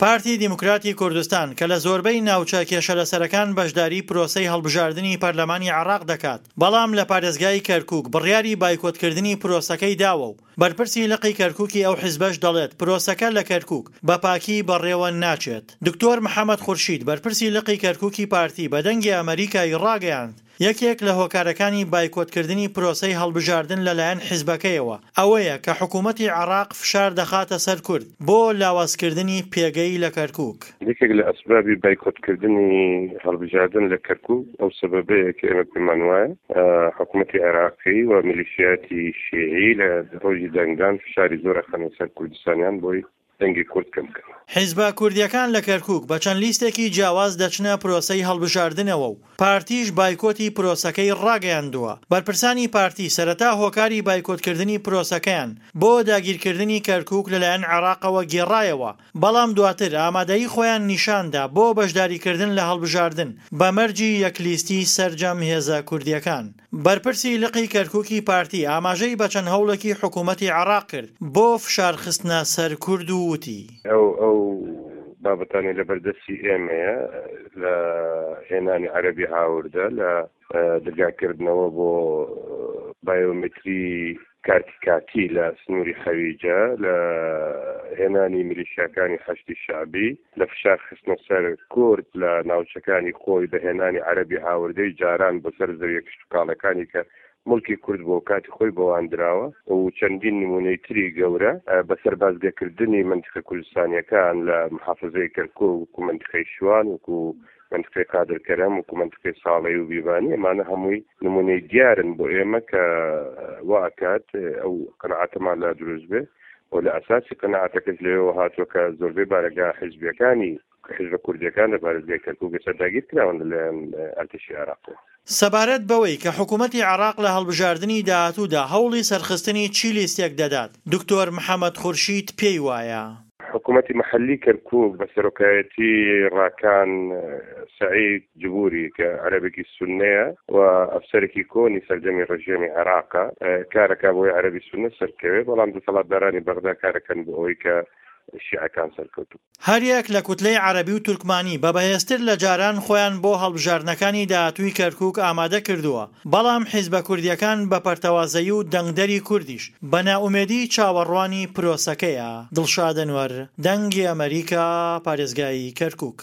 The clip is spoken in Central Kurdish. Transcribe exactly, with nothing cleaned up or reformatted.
پارتی دیموکراتی کوردستان کە لە زۆربەی ناوچە کێشەلەسەرەکان بەشداری پرۆسەی هەڵبژاردنی پەرلەمانی عێراق دەکات، بەڵام لە پارێزگای کەرکوک بڕیاری بایکۆتکردنی پرۆسەکەی داوە و بەرپرسی لقی کەرکوکی ئەو حیزبەش دەڵێت پرۆسەکە لە کەرکوک بە پاکی بەڕێوە ناچێت. دکتۆر محەمەد خورشید بەرپرسی لقی کەرکوکی پارتی بە دەنگی ئەمەریکای ڕاگەیاند، یەکێک لە هۆکارەکانی بایکۆتکردنی پرۆسەی هەڵبژاردن لەلایەن حیزبەکەیەوە ئەوەیە کە حکوومەتی عێراق فشار دەخاتە سەر کورد بۆ لاوازکردنی پێگەی لە کەرکووک. یەکێک لە ئەسبابی بایکۆتکردنی هەڵبژاردن لە کەرکووک ئەو سەبەبەیە کە ئێمە پێمان وایە حکوومەتی عێراقی و میلیشیاتی شیعی لە ڕۆژی دەنگدان فشاری زۆر ئەخەنە سەر کوردستانیان بۆی دەنگی کورد کەم بکەنەوە. حیزبە کوردییەکان لە کەرکووک بە چەند لیستێکی جیاواز دەچنە پرۆسەی هەڵبژاردنەوە و پارتیش بایکۆتی پرۆسەکەی ڕاگەیاندووە. بەرپرسانی پارتی سەرەتا هۆکاری بایکۆتکردنی پرۆسەکەیان بۆ داگیرکردنی کەرکووک لەلایەن عێراقەوە گێڕایەوە، بەڵام دواتر ئامادەیی خۆیان نیشاندا بۆ بەشداریکردن لە هەڵبژاردن بە مەرجی یەکلیستی سەرجەم هێزە کوردییەکان. بەرپرسی لقی کەرکوکی پارتی ئاماژەی بە چەند هەوڵێکی حکومەتی عێراق کرد بۆ فشارخستنە سەر کورد و وتی. ئەو ئەو بابەتانەی لەبەردەستی ئێمەیە لە هێنانی عەرەبی هاوردە، لە درگاکردنەوە بۆ بایۆمەتری کارتی کاتی لە سنووری حەویجە، لە هێنانی میلیشیاکانی حەشدی شەعبی، لە فشار خستنە سەر کورد لە ناوچەکانی خۆی بە هێنانی عەرەبی هاوردەی جاران بۆ سەر زەویە کشتوکاڵەکانی کە موڵکی کورد بووە و کاتی خۆی بەوان دراوە و چەندین نموونەی تری گەورە بە سەربازگەکردنی مەنتیقە کوردستانیەکان لە محافزەی کەرکوک وەکو مەنتیقەی شوان وەکو مەنتیقەی قادر کەرەم وەکو مەنتیقەی ساڵەی و بیبانی ئەمانە هەمووی نموونەی دیارن بۆ ئێمە کە وا ئەکات ئەو قەناعەتەمان لا دروست بێ و لە ئەساسی قەناعەتەکەش لەوێوە هاتووە کە زۆربەی بارەگا حیزبیەکانی حیزبە کوردیەکان لە پارێزگای کەرکوک ئێستا داگیر کراون لەلایەن ئەرتەشی عێراقەوە. سەبارەت بەوەی کە حکومەتی عێراق لە هەڵبژاردنی داهاتوودا هەوڵی سەرخستنی چی لیستێک دەدات، دکتۆر محەمەد خورشید پێی وایە. حکومەتی مەحەلی کەرکوک بە سەرۆکایەتی ڕاکان سەعید جبوری کە عەرەبێکی سوننەیە و ئەفسەرێکی کۆنی سەردەمی ڕژێمی عێراقە کارەکا بۆی عەرەبی سوننە سەرکەوێ، بەڵام دەسەڵاتدارانی بەغدا کارەکەن بۆ ئەوەی کە شیعەکان سەرکەوتوو. هەریەک لە کوتلەی عەرەبی و تورکمانی بە بەهێزتر لە جاران خۆیان بۆ هەڵبژاردنەکانی داهاتووی کەرکوک ئامادە کردووە، بەڵام حیزبە کوردییەکان بە پەرتەوازەیی و دەنگدەری کوردیش بە نائومێدی چاوەڕوانی پرۆسەکەیە. دڵشاد ئەنوەر، دەنگی ئەمەریکا، پارێزگای کەرکوک.